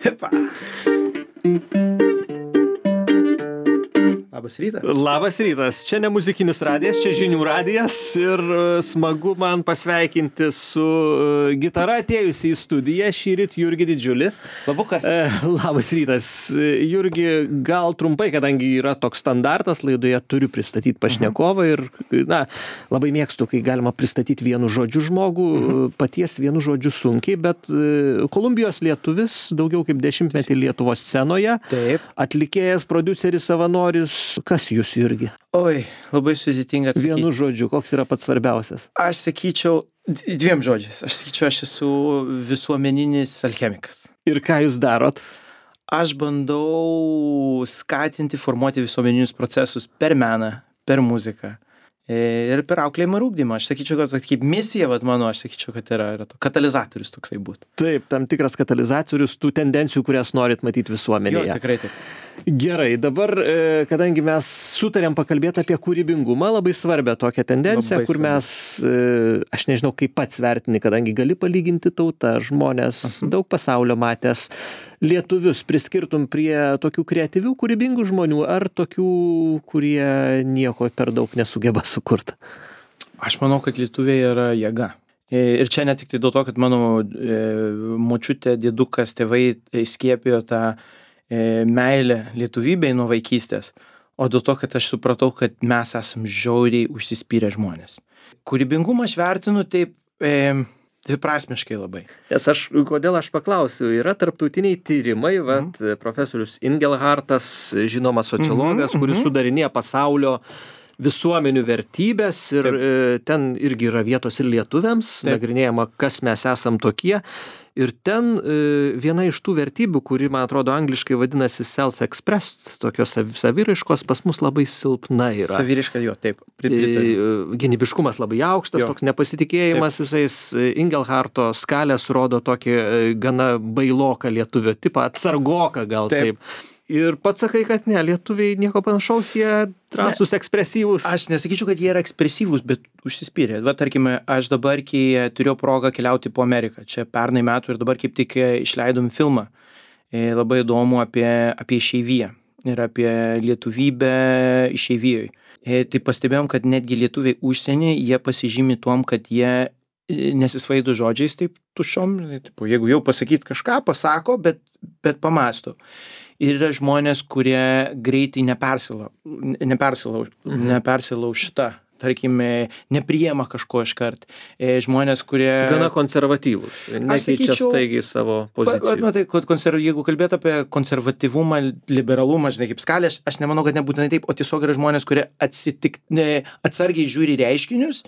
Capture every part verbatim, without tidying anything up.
Hepa. Labas rytas. Labas rytas. Čia ne muzikinis radijas, čia žinių radijas ir smagu man pasveikinti su gitara atėjusi į studiją šįryt Jurgį Didžiulį. Labukas. E, labas rytas. Jurgi, gal trumpai, kadangi yra toks standartas, laidoje turiu pristatyti pašnekovą ir, na, labai mėgstu, kai galima pristatyti vienu žodžiu žmogų, mhm. paties vienu žodžiu sunkiai, bet Kolumbijos lietuvis, daugiau kaip dešimtmetį Lietuvos scenoje, Taip. Atlikėjas, prodiuseris, savanoris. Kas jūs, Jurgi? Oi, labai sudėtinga atsakyti. Vienu žodžiu, koks yra pats svarbiausias? Aš sakyčiau, dviem žodžiais. Aš sakyčiau, aš esu visuomeninis alchemikas. Ir ką jūs darot? Aš bandau skatinti, formuoti visuomeninius procesus per meną, per muziką ir per auklėjimą ir ugdymą. Aš sakyčiau, kad kaip misija, vat mano, aš sakyčiau, kad yra, yra to katalizatorius toksai būtų. Taip, tam tikras katalizatorius tų tendencijų, kurias norit matyti visuomenėje. Jo, tikrai taip. Gerai, dabar, kadangi mes sutarėm pakalbėti apie kūrybingumą, labai svarbią tokią tendenciją, Labai kur svarbu. mes, aš nežinau, kaip pats vertini, kadangi gali palyginti tautą, žmonės, Aha. daug pasaulio matęs, lietuvius priskirtum prie tokių kreatyvių, kūrybingų žmonių, ar tokių, kurie nieko per daug nesugeba sukurti? Aš manau, kad lietuviai yra jėga. Ir čia ne tik tai dėl to, kad mano e, močiutė, dėdukas, tėvai skiepijo tą e, meilę lietuvybei nuo vaikystės, o dėl to, kad aš supratau, kad mes esam žiauriai užsispyrę žmonės. Kūrybingumą aš vertinu taip e, dviprasmiškai labai. Nes aš, kodėl aš paklausiu, yra tarptautiniai tyrimai, vat, mm. profesorius Ingelhartas, žinomas sociologas, Mhm, kuris mhm. sudarinėja pasaulio visuomenių vertybės ir Taip. e, ten irgi yra vietos ir lietuviams, Taip. nagrinėjama, kas mes esam tokie. Ir ten e, viena iš tų vertybių, kuri, man atrodo, angliškai vadinasi self-expressed, tokios sav- saviraiškos, pas mus labai silpna yra. Saviriška jo, taip. Pritariu. E, Gynybiškumas labai aukštas, Jo. toks nepasitikėjimas visais. e, Ingelharto skalės rodo tokį e, gana bailoką lietuvio tipą, atsargoką gal taip. Taip. Ir pats sakai, kad ne, lietuviai nieko panašaus, jie drąsūs, ekspresyvūs. Aš nesakyčiau, kad jie yra ekspresyvūs, bet užsispyrę. Va, tarkime, aš dabar, kai turėjau progą keliauti po Ameriką, čia pernai metų ir dabar kaip tik išleidom filmą, e, labai įdomu apie, apie išeiviją ir apie lietuvybę išeivijoje. E, tai pastebėjom, kad netgi lietuviai užsienį, jie pasižymi tuom, kad jie e, nesisvaido žodžiais taip tuščiom, tipo, jeigu jau pasakyt kažką, pasako, bet, bet pamasto. Ir yra žmonės, kurie greitai nepersilauž, nepersilauž, Mhm. nepersilaužta, tarkime, nepriema kažko iškart. E, žmonės, kurie... Gana konservatyvūs, nekeičia sakyčiau- staigiai savo Pa- pa- pozicijų. Matai, kad konserv... jeigu kalbėt apie konservatyvumą, liberalumą, žinai, kaip skalė, aš, aš nemanau, kad nebūtinai taip, o tiesiog yra žmonės, kurie atsitik... ne, atsargiai žiūri į reiškinius,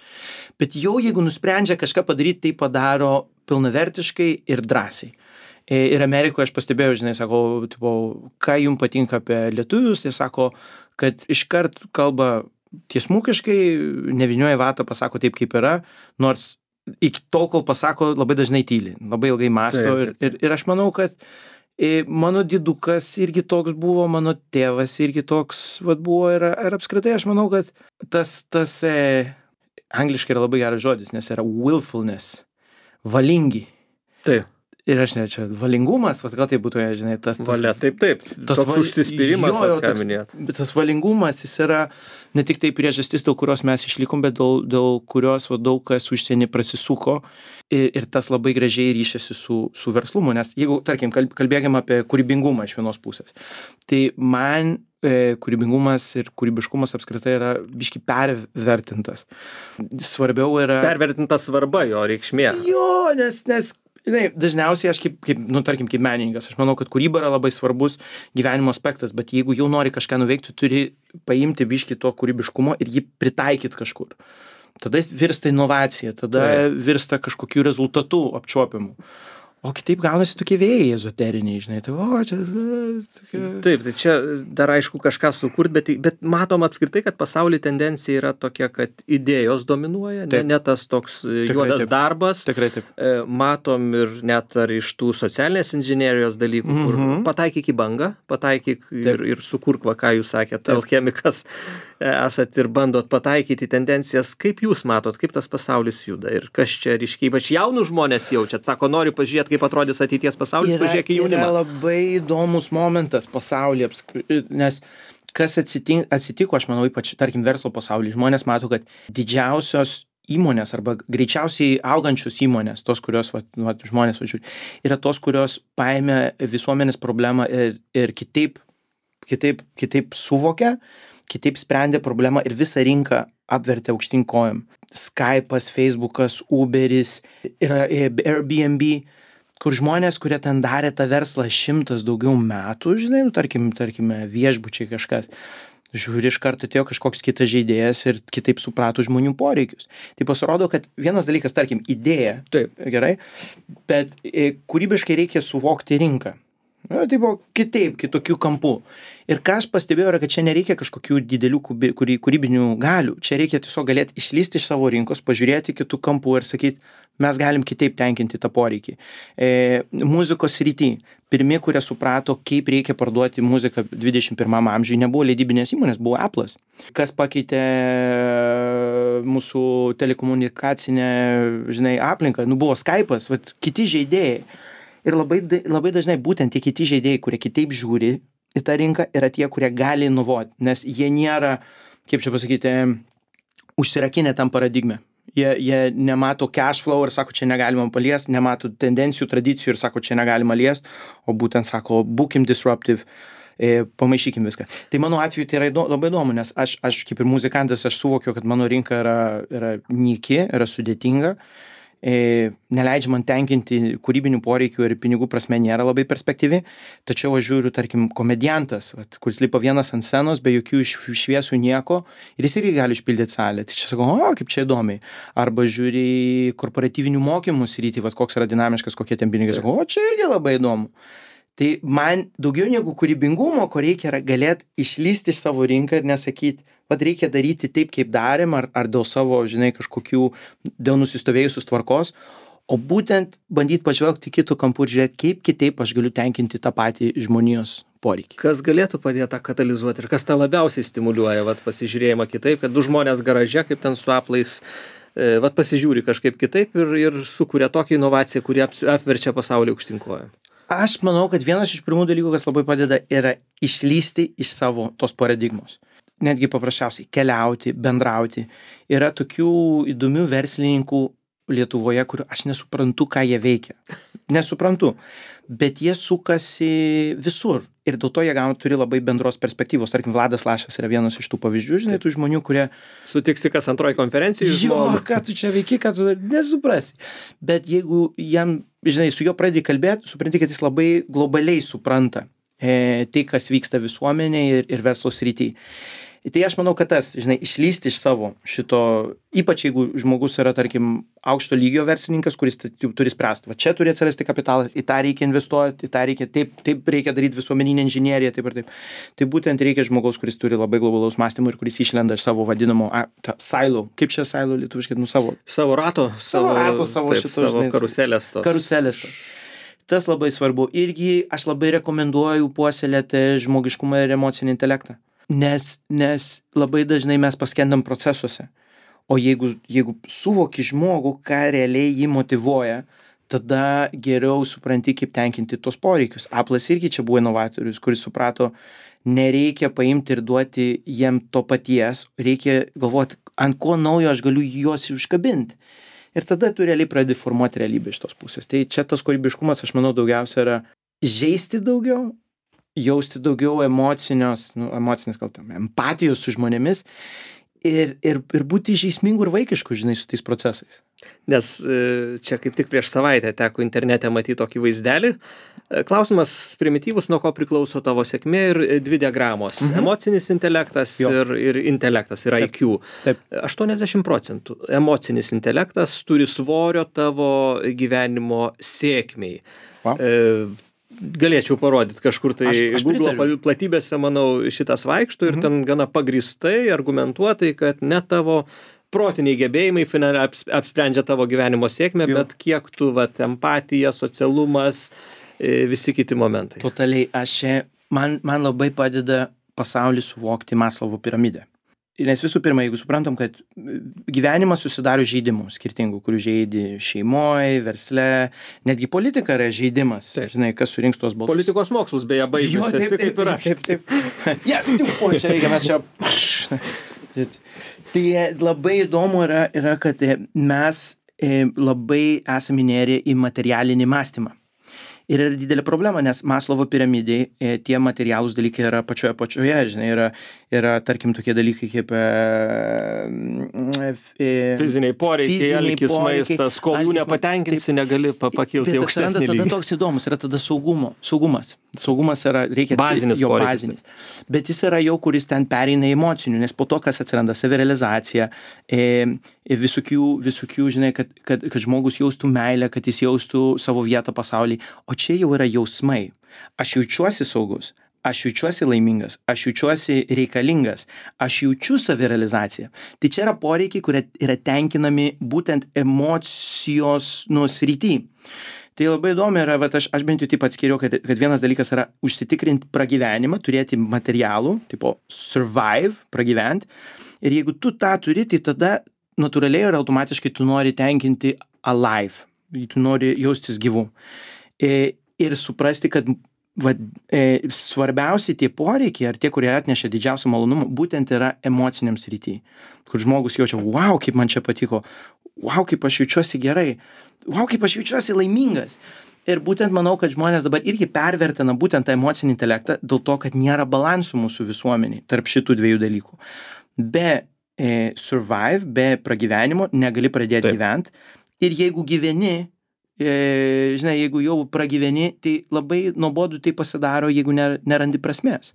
bet jau jeigu nusprendžia kažką padaryti, tai padaro pilnavertiškai ir drąsiai. Ir Amerikoje aš pastebėjau, žinai, sako, tipo, ką jums patinka apie lietuvius, jie sako, kad iškart kalba tiesmukiškai, nevinioja vatą, pasako taip, kaip yra, nors iki tol, kol pasako, labai dažnai tyli, labai ilgai mąsto. Taip, Ir, ir, ir aš manau, kad e, mano didukas irgi toks buvo, mano tėvas irgi toks vat, buvo ir, ir apskritai aš manau, kad tas, tas e, angliškai yra labai geras žodis, nes yra willfulness, valingi. Taip, Ir aš ne, čia valingumas, vat gal tai būtų, žinai, tas... tas valia, taip, taip. tas Toks val- užsispyrimas, jo, vat jo, ką toks- minėjot. Bet tas valingumas, jis yra ne tik tai priežastis, dėl kurios mes išlikom, bet dėl, dėl kurios va, daug kas užsienį prasisuko ir, ir tas labai gražiai ryšiasi su, su verslumu. Nes jeigu, tarkim, kalb- kalbėkime apie kūrybingumą iš vienos pusės, tai man e, kūrybingumas ir kūrybiškumas apskritai yra biški pervertintas. Svarbiau yra... Pervertinta svarba jo reikšmė. Jo, nes, nes žinai, dažniausiai aš kaip, kaip, nu, tarkim, kaip menininkas, aš manau, kad kūryba yra labai svarbus gyvenimo aspektas, bet jeigu jau nori kažką nuveikti, turi paimti biškį to kūrybiškumo ir jį pritaikyti kažkur. Tada virsta inovacija, tada Taip. virsta kažkokiu rezultatu apčiuopiamu. O kitaip gaunasi tokie vėjai ezoteriniai, žinai, tai o, čia... Tokia... Taip, tai čia dar aišku kažką sukurt, bet, bet matom apskritai, kad pasaulyje tendencija yra tokia, kad idėjos dominuoja, ne, ne tas toks Tikrai juodas taip. darbas. Tikrai taip. Matom ir net ar iš tų socialinės inžinerijos dalykų, mm -hmm. kur pataikyk į bangą, pataikyk ir, ir sukurk, va, ką jūs sakėte, alchemikas esat ir bandot pataikyti tendencijas. Kaip jūs matot, kaip tas pasaulis juda ir kas čia ryškiai, ypač jaunų žmonės jaučiat, sako, noriu pažiūrėti, kaip atrodys ateities pasaulis, pažiūrėk į jaunimą. Yra labai įdomus momentas pasaulyje, nes kas atsitiko, atsitiko, aš manau, ypač, tarkim, verslo pasaulyje, žmonės mato, kad didžiausios įmonės arba greičiausiai augančios įmonės, tos, kurios va, va, žmonės važiuoja, yra tos, kurios paėmė visuomenės problemą ir, ir kitaip, kitaip, kitaip suvokia, kitaip sprendė problemą ir visą rinką apvertė aukštyn kojom. Skype'as, Facebook'as, Uber'is, yra Airbnb, kur žmonės, kurie ten darė tą verslą šimtas daugiau metų, žinai, nu, tarkim, tarkime, viešbučiai kažkas, žiūri, iš karto atėjo kažkoks kitas žaidėjas ir kitaip suprato žmonių poreikius. Tai pasirodo, kad vienas dalykas, tarkim, idėja, taip, gerai, bet e, kūrybiškai reikia suvokti rinką. Nu, tai buvo kitaip, kitokių kampų. Ir ką aš pastebėjau, yra, kad čia nereikia kažkokių didelių kūrybinių galių. Čia reikia tiesiog galėti išlysti iš savo rinkos, pažiūrėti kitų kampų ir sakyti, mes galim kitaip tenkinti tą poreikį. E, muzikos srity. Pirmi, kurie suprato, kaip reikia parduoti muziką dvidešimt pirmam amžiui, nebuvo leidybinės įmonės, buvo Apple'as. Kas pakeitė mūsų telekomunikacinę, žinai, aplinką, nu buvo Skype'as, vat, kiti žaidėjai. Ir labai, labai dažnai būtent tie kiti žaidėjai, kurie kitaip žiūri į tą rinką, yra tie, kurie gali inovuoti, nes jie nėra, kaip čia pasakyti, užsirakinę tam paradigmę. Jie, jie nemato cash flow ir sako, čia negalima paliesti, nemato tendencijų, tradicijų ir sako, čia negalima liesti, o būtent sako, būkim disruptive, e, pamaišykim viską. Tai mano atveju tai yra įdo, labai įdomu, nes aš, aš kaip ir muzikantas, aš suvokiu, kad mano rinka yra, yra nyki, yra sudėtinga. E, neleidžia man tenkinti kūrybinių poreikių ir pinigų prasme nėra labai perspektyvi, tačiau aš žiūriu, tarkim, komediantas, vat, kuris lipa vienas ant scenos, be jokių šviesų nieko, ir jis irgi gali išpildyti salę. Tai čia sakau, o, kaip čia įdomiai. Arba žiūri korporatyvinių mokymų sritį, vat, koks yra dinamiškas, kokie ten pinigai, sakau, o, čia irgi labai įdomu. Tai man daugiau negu kūrybingumo, ko reikia, yra galėti išlysti iš savo rinką ir nesakyti, vat reikia daryti taip, kaip darėm, ar, ar dėl savo, žinai, kažkokių, dėl nusistovėjusios tvarkos, o būtent bandyti pažvelgti kitų kampų ir žiūrėti, kaip kitaip aš galiu tenkinti tą patį žmonijos poreikį. Kas galėtų padėti tą katalizuoti ir kas tą labiausiai stimuliuoja, vat pasižiūrėjimą kitaip, kad du žmonės garaže, kaip ten su Apple'ais, e, vat pasižiūri kažkaip kitaip ir, ir sukuria tokią inovaciją, kuri apverčia pasaulį aukštyn kojom. Aš manau, kad vienas iš pirmų dalykų, kas labai padeda, yra išlysti iš savo tos paradigmos. Netgi paprasčiausiai keliauti, bendrauti. Yra tokių įdomių verslininkų Lietuvoje, kurių aš nesuprantu, ką jie veikia. Nesuprantu. Bet jie sukasi visur. Ir dėl to jie gauna, turi labai bendros perspektyvos. Tarkim, Vladas Lašas yra vienas iš tų pavyzdžių, žinai, tų žmonių, kurie... Sutiksi kas antroji konferencijų. Jo, ką tu čia veiki, ką tu nesuprasi. Bet jeigu jam, žinai, su juo pradedi kalbėti, supranti, kad jis labai globaliai supranta e, tai, kas vyksta visuomenėje ir, ir verslo srityje. Tai aš manau, kad tas, žinai, išlysti iš savo šito, ypač jeigu žmogus yra, tarkim, aukšto lygio verslininkas, kuris turi spręsti. Va čia turi atsirasti kapitalas, į tą reikia investuoti, į tą reikia, taip, taip reikia daryti visuomeninę inžineriją, taip ir taip. Tai būtent reikia žmogaus, kuris turi labai globalaus mąstymo ir kuris išlenda iš savo vadinamo a, ta, silo. Kaip čia silo lietuviškai, nu savo. Savo rato. Savo, savo rato, savo taip, šitos. Savo žinai, karuselės tos. Karuselės tos. Tas labai svarbu. Irgi aš labai rekomenduoju puoselėti žmogiškumą ir emocinį intelektą. Nes, nes labai dažnai mes paskendam procesuose. O jeigu, jeigu suvoki žmogų, ką realiai jį motyvuoja, tada geriau supranti, kaip tenkinti tos poreikius. Apple'as irgi čia buvo inovatorius, kuris suprato, nereikia paimti ir duoti jiem to paties, reikia galvoti, ant ko naujo aš galiu juos užkabinti. Ir tada tu realiai pradedi formuoti realybę iš tos pusės. Tai čia tas kūrybiškumas, aš manau, daugiausia yra žaisti daugiau, jausti daugiau emocinios, nu, emocinės gal tam, empatijos su žmonėmis ir, ir, ir būti žaismingų ir vaikiškų, žinai, su tais procesais. Nes čia kaip tik prieš savaitę teko internete matyti tokį vaizdelį, Klausimas primityvus, nuo ko priklauso tavo sėkmė ir dvi diagramos. Mhm. Emocinis intelektas ir, ir intelektas, ir I Q. Taip. aštuoniasdešimt procentų emocinis intelektas turi svorio tavo gyvenimo sėkmei. Wow. E, galėčiau parodyti kažkur tai Aš- aš Google pritariu. platybėse, manau, šitas vaikšto ir ten gana pagrįstai, argumentuotai, kad ne tavo protiniai gebėjimai finale aps- apsprendžia tavo gyvenimo sėkmę, Jo. bet kiek tu, vat, empatija, socialumas, e, visi kiti momentai. Totaliai, aš čia, man, man labai padeda pasaulį suvokti Maslovo piramidę. Nes visų pirma, jeigu suprantam, kad gyvenimas susidaro žaidimų skirtingų, kurių žaidi šeimoje, versle, netgi politika yra žaidimas. Taip. Žinai, kas surinks tuos balsus. Politikos mokslus beje baigęs Jo, taip, esi taip, kaip ir aš. taip, taip, taip. Yes, tipo, čia reikia, mes čia. Tai labai įdomu yra, yra kad e, mes e, labai esame įnėrę į materialinį mąstymą. Ir yra didelė problema, nes Maslovo piramidai e, tie materialūs dalykai yra pačioje pačioje, žinai, yra, yra tarkim tokie dalykai kaip e, e, Fiziniai poreikiai, fiziniai alkis, poreikiai, maistas, kol jų alkis, nepatenkinsi, negali pa- pakilti į Bet aukštesnį atsiranda tada lygį. toks įdomus, yra tada saugumo, saugumas. Saugumas yra, reikia Bazinis jo poreikis, bazinis. Bet jis yra jau, kuris ten pereina į emocinių, nes po to, kas atsiranda savirealizacija, e, e, visokių, visokių, žinai, kad, kad, kad žmogus jaustų meilę, kad jis jaustų savo vietą pasaulyje. O čia jau yra jausmai. Aš jaučiuosi saugus, aš jaučiuosi laimingas, aš jaučiuosi reikalingas, aš jaučiu savirealizaciją. Tai čia yra poreikiai, kurie yra tenkinami būtent emocijos nusrity. Tai labai įdomu yra, vat aš, aš bent jau taip atskiriau, kad, kad vienas dalykas yra užsitikrinti pragyvenimą, turėti materialų, tipo survive, pragyventi. Ir jeigu tu tą turi, tai tada natūraliai ir automatiškai tu nori tenkinti alive, tu nori jaustis gyvu. E, ir suprasti, kad va, e, svarbiausi tie poreikiai, ar tie, kurie atneša didžiausią malonumą, būtent yra emociniam srity. Kur žmogus jaučia, wow, kaip man čia patiko, wow, kaip aš jaučiuosi gerai, wow, kaip aš jaučiuosi laimingas. Ir būtent manau, kad žmonės dabar irgi pervertina būtent tą emocinį intelektą dėl to, kad nėra balansų mūsų visuomeniai tarp šitų dviejų dalykų. Be e, survive, be pragyvenimo negali pradėti Taip. gyventi. Ir jeigu gyveni, e, žinai, jeigu jau pragyveni, tai labai nuobodu tai pasidaro, jeigu ner, nerandi prasmės.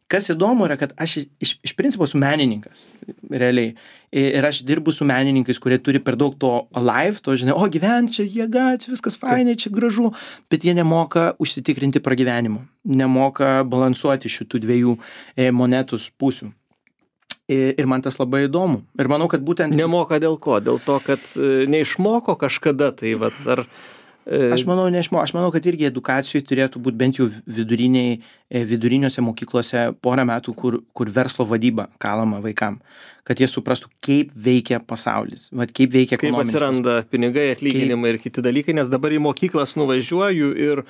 Kas įdomu yra, kad aš iš, iš principo esu menininkas, realiai. Ir aš dirbu su menininkais, kurie turi per daug to alive, to, žinai, o gyvent čia jėga, čia viskas fainai, čia gražu, bet jie nemoka užsitikrinti pragyvenimo, nemoka balansuoti šitų dviejų e, monetus pusių. Ir, ir man tas labai įdomu. Ir manau, kad būtent... Nemoka dėl ko? Dėl to, kad e, neišmoko kažkada, tai vat, ar... e, Aš manau, neišmo, aš manau, kad irgi edukacijai turėtų būti bent jau viduriniai, e, viduriniuose mokyklose porą metų, kur, kur verslo vadyba kalama vaikam, kad jie suprastų, kaip veikia pasaulis, vat, kaip veikia kaip ekonominis atsiranda pinigai, atlyginimai ir kiti dalykai, nes dabar į mokyklas nuvažiuoju ir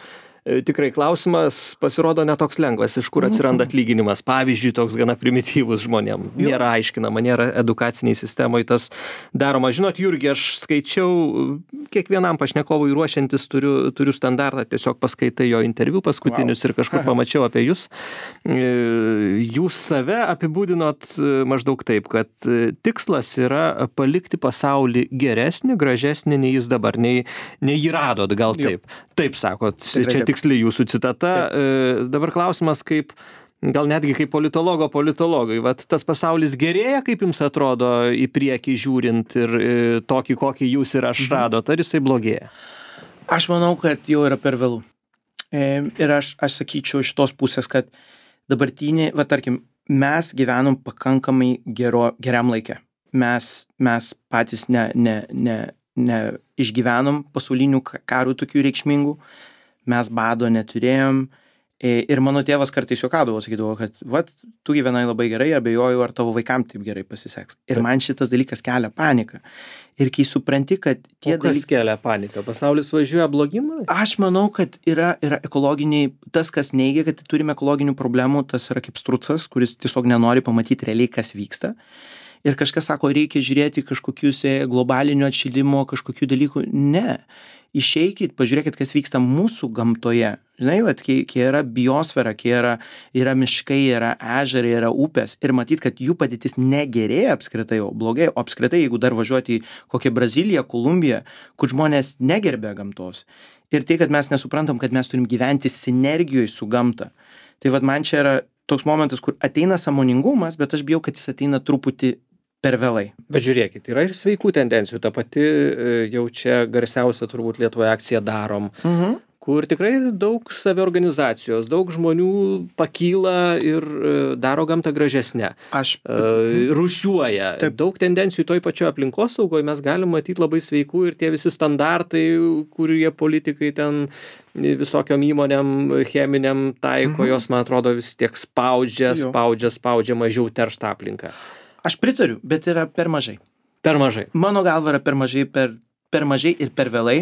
e, tikrai klausimas pasirodo netoks lengvas, iš kur atsiranda atlyginimas. Pavyzdžiui, toks gana primityvus žmonėm. Jo. Nėra aiškinama, nėra edukaciniai sistemoje tas daroma. Žinot, Jurgi, aš skaičiau kiekvienam pašnekovui ruošiantis, turiu, turiu standartą, tiesiog paskaitai jo interviu paskutinius Wow. ir kažkur pamačiau apie jūs. E, Jūs save apibūdinot e, maždaug taip, kad e, tikslas yra palikti pasaulį geresnį, gražesnį, nei jis dabar, nei, nei jį radot, gal Jo. taip. Taip sakot, Tikrai čia taip. tiksli jūsų citata. E, dabar klausimas, kaip, gal netgi kaip politologo politologai, vat tas pasaulis gerėja, kaip jums atrodo, į priekį žiūrint ir e, tokį, kokį jūs ir aš radot, ar jisai blogėja? Aš manau, kad jau yra per vėlų. E, ir aš, aš sakyčiau iš tos pusės, kad dabartinį, va tarkim, mes gyvenom pakankamai gero, geram laikę. Mes, mes patys ne, ne, ne, ne išgyvenom pasaulinių ka- karų tokių reikšmingų, mes bado neturėjom. E, ir mano tėvas kartais juokaudavo, sakydavo, kad vat, tu gyvenai labai gerai, abejoju, ar tavo vaikam taip gerai pasiseks. Ir Taip. man šitas dalykas kelia paniką. Ir kai supranti, kad tie O kas dalykai... kelia paniką? Pasaulis važiuoja blogyn? Aš manau, kad yra, yra ekologiniai, tas, kas neigia, kad turime ekologinių problemų, tas yra kaip strucas, kuris tiesiog nenori pamatyti realiai, kas vyksta. Ir kažkas sako, reikia žiūrėti kažkokius e, globalinio atšilimo, kažkokių dalykų. Ne. Išeikit, pažiūrėkit, kas vyksta mūsų gamtoje. žinai, vat, kai, kai yra biosfera, kai yra, yra miškai, yra ežerai, yra upės ir matyt, kad jų padėtis negerėja apskritai, o blogai, o apskritai, jeigu dar važiuoti į kokią Braziliją, Kolumbiją, kur žmonės negerbė gamtos. Ir tai, kad mes nesuprantam, kad mes turim gyventi sinergijoje su gamta. Tai vat man čia yra toks momentas, kur ateina sąmoningumas, bet aš bijau, kad jis ateina truputį per vėlai. Bet žiūrėkit, yra ir sveikų tendencijų. Ta pati jau čia garsiausia turbūt Lietuvoje akcija Darom, mhm. kur tikrai daug saviorganizacijos, daug žmonių pakyla ir daro gamtą gražesnę. Aš uh, rūšiuoja. Taip. Daug tendencijų toj pačioj aplinkosaugoje mes galim matyti labai sveikų ir tie visi standartai, kurie politikai ten visokiom įmonėm cheminiam taiko, mhm. jos, man atrodo, vis tiek spaudžia, jo. spaudžia, spaudžia mažiau terštą aplinką. Aš pritariu, bet yra per mažai. Per mažai. Mano galva yra per mažai, per, per mažai ir per vėlai.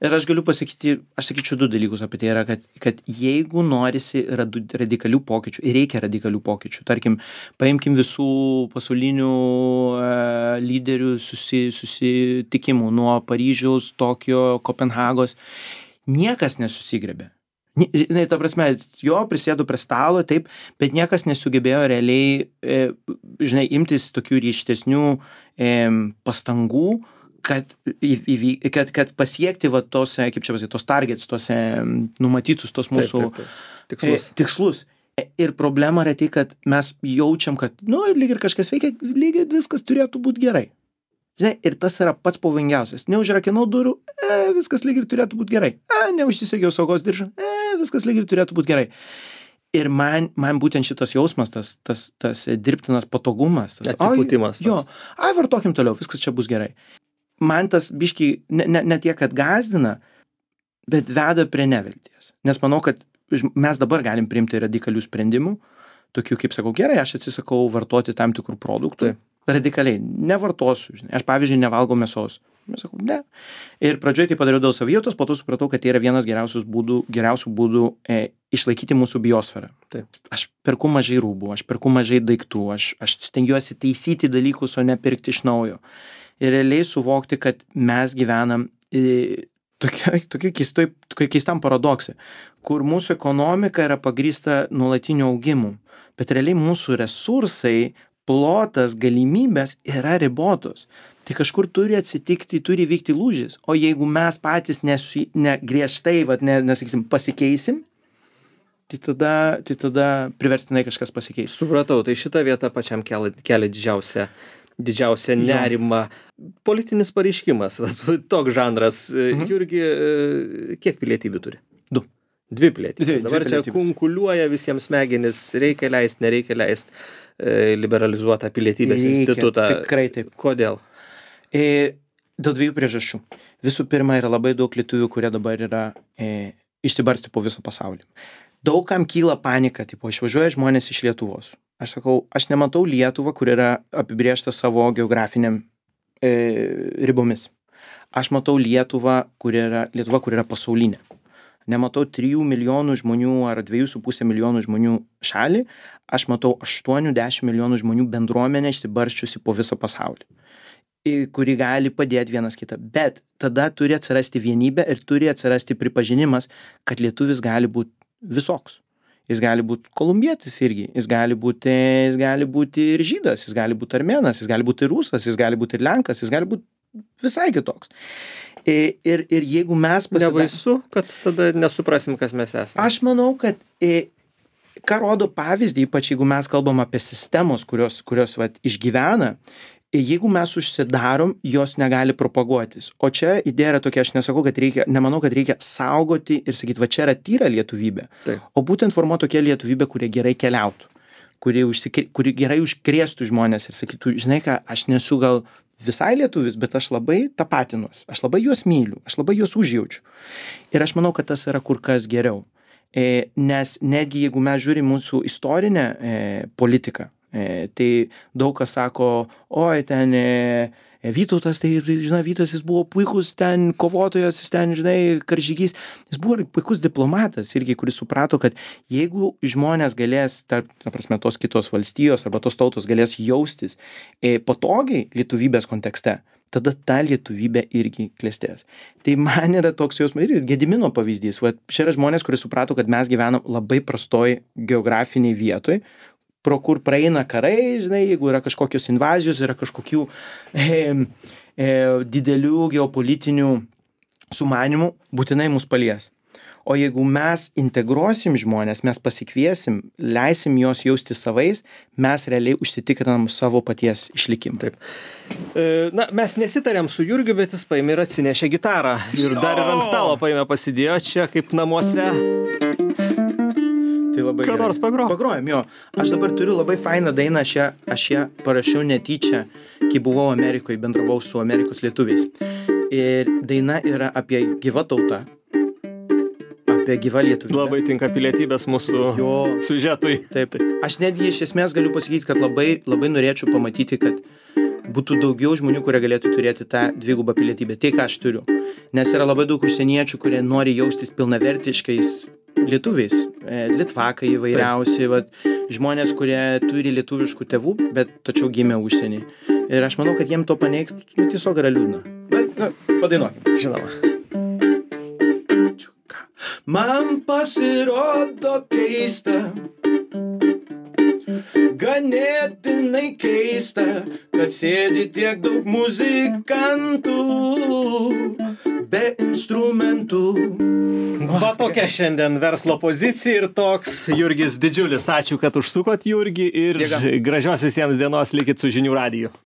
Ir aš galiu pasakyti, aš sakyčiau du dalykus apie tai yra, kad, kad jeigu norisi radikalių pokyčių, ir reikia radikalių pokyčių, tarkim, paimkim visų pasaulinių uh, lyderių susi, susitikimų nuo Paryžiaus, Tokijo, Kopenhagos, niekas nesusigrebė. Na, ta prasme, jo, prisėdu prie stalo, taip, bet niekas nesugebėjo realiai, e, žinai, imtis tokių ryštesnių e, pastangų, kad, įvy, kad, kad pasiekti va tos, kaip čia pasakyti, tos targets, tos numatytus, tos mūsų taip, taip, taip. Tikslus. E, tikslus. Ir problema yra tai, kad mes jaučiam, kad, nu, lyg ir kažkas veikia, lyg ir viskas turėtų būti gerai. Žinai, ir tas yra pats pavojingiausias. Neužrakinau durų, e, viskas lyg ir turėtų būti gerai. E, neužsisegiau saugos diržą, e, viskas lyg ir turėtų būti gerai. Ir man, man būtent šitas jausmas, tas, tas, tas dirbtinas patogumas, tas atsipūtimas. Jo, ai, vartokim toliau, viskas čia bus gerai. Man tas biškiai ne, ne, ne tiek, kad gazdina, bet veda prie nevilties. Nes manau, kad mes dabar galim priimti radikalių sprendimų, tokių kaip sakau, gerai, aš atsisakau vartoti tam tikrų produktų. Taip. Radikaliai, nevartosiu, žinai. Aš, pavyzdžiui, nevalgau mėsos. Mes sakau, ne. Ir pradžioje tai padariau dėl savijautos, po to supratau, kad tai yra vienas geriausių būdų, geriausių būdų e, išlaikyti mūsų biosferą. Taip. Aš perku mažai rūbų, aš perku mažai daiktų, aš, aš stengiuosi taisyti dalykus, o ne pirkti iš naujo. Ir realiai suvokti, kad mes gyvenam e, tokia, tokia keistoj, tokia keistam paradokse, kur mūsų ekonomika yra pagrįsta nuolatiniu augimu, bet realiai mūsų resursai, plotas, galimybės yra ribotos. Tai kažkur turi atsitikti, turi vykti lūžis. O jeigu mes patys nesu, ne, griežtai, vat, ne, nesakysim, pasikeisim, tai tada, tai tada priverstinai kažkas pasikeis. Supratau, tai šita vieta pačiam kelia, kelia didžiausią, didžiausią nerimą. Politinis pareiškimas, toks žanras. Mhm. Jurgi, kiek pilietybių turi? Du. Dvi pilietybės. Dvi, Dabar dvi čia kunkuliuoja visiems smegenis, reikia leist, nereikia leist liberalizuotą pilietybės reikia, institutą. Tikrai taip. Kodėl? E, dėl dviejų priežasčių. Visų pirma, yra labai daug lietuvių, kurie dabar yra e, išsibarsti po visą pasaulį. Daug kam kyla panika, tipo, išvažiuoja žmonės iš Lietuvos. Aš sakau, aš nematau Lietuvą, kur yra apibrėžta savo geografiniam e, ribomis. Aš matau Lietuvą, kur yra, Lietuva, kur yra pasaulinė. Nematau trijų milijonų žmonių ar dviejų su pusė milijonų žmonių šalį, aš matau aštuonių dešimt milijonų žmonių bendruomenę išsibarsčiusi po visą pasaulį, kuri gali padėti vienas kitą. Bet tada turi atsirasti vienybė ir turi atsirasti pripažinimas, kad lietuvis gali būti visoks. Jis gali būti kolumbietis irgi, jis gali būti, jis gali būti ir žydas, jis gali būti armėnas, jis gali būti ir rusas, jis gali būti ir lenkas, jis gali būti visai kitoks. Ir, ir jeigu mes pasidar... Nebaisu, kad tada nesuprasim, kas mes esame. Aš manau, kad e, ką rodo pavyzdį, ypač jeigu mes kalbam apie sistemos, kurios, kurios vat, išgyvena, e, jeigu mes užsidarom, jos negali propaguotis. O čia idėja yra tokia, aš nesakau, kad reikia, nemanau, kad reikia saugoti ir sakyti, va čia yra tyra lietuvybė. Taip. O būtent formuoti tokia lietuvybė, kurie gerai keliautų, kuri, užsikri, kuri gerai užkrėstų žmonės ir sakytų, žinai ką, aš nesu gal visai lietuvis, bet aš labai tapatinuos, aš labai juos myliu, aš labai juos užjaučiu. Ir aš manau, kad tas yra kur kas geriau. E, nes netgi jeigu mes žiūrim mūsų istorinę e, politiką, e, tai daug kas sako, oi, ten e, Vytautas, tai, žinai, Vytas, jis buvo puikus ten kovotojas, jis ten, žinai, karžygys, jis buvo puikus diplomatas irgi, kuris suprato, kad jeigu žmonės galės, tarp, ta prasme, tos kitos valstijos arba tos tautos galės jaustis e, patogiai lietuvybės kontekste, tada ta lietuvybė irgi klestės. Tai man yra toks jausmas ir Gedimino pavyzdys. Va, čia yra žmonės, kurie suprato, kad mes gyvenam labai prastoj geografiniai vietoj, pro kur praeina karai, žinai, jeigu yra kažkokios invazijos, yra kažkokių e, e, didelių geopolitinių sumanimų, būtinai mus palies. O jeigu mes integruosim žmonės, mes pasikviesim, leisim juos jausti savais, mes realiai užsitikrinam savo paties išlikimą. Taip. E, na, mes nesitarėm su Jurgiu, bet jis paėmė ir atsinešė gitarą. Ir dar ir ant stalo paėmė pasidėjo čia kaip namuose. Tai labai Ką nors pagro? Pagrojam, jo. Aš dabar turiu labai fainą dainą, aš ją, aš ją parašiau netyčia, kai buvau Amerikoje, bendravau su Amerikos lietuviais. Ir daina yra apie gyvą tautą, apie gyvą lietuvybę. Labai tinka pilietybės mūsų jo siužetui. Taip. Aš netgi iš esmės galiu pasakyti, kad labai, labai norėčiau pamatyti, kad būtų daugiau žmonių, kurie galėtų turėti tą dvigubą pilietybę. Tai, ką aš turiu. Nes yra labai daug užsieniečių, kurie nori jaustis pilnavertiškais lietuviais. Litvakai įvairiausi, vat, žmonės, kurie turi lietuviškų tėvų, bet tačiau gimė užsienį. Ir aš manau, kad jiem to paneigti, nu, tiesiog yra liūdna. Bet, na, padainuokim. Žinoma. Man pasirodo keista, ganėtinai keista, kad sėdi tiek daug muzikantų be instrumentų. Va tokia šiandien verslo pozicija ir toks Jurgis Didžiulis. Ačiū, kad užsukot, Jurgi, ir Dėka. Gražios visiems dienos, likit su Žinių radiju.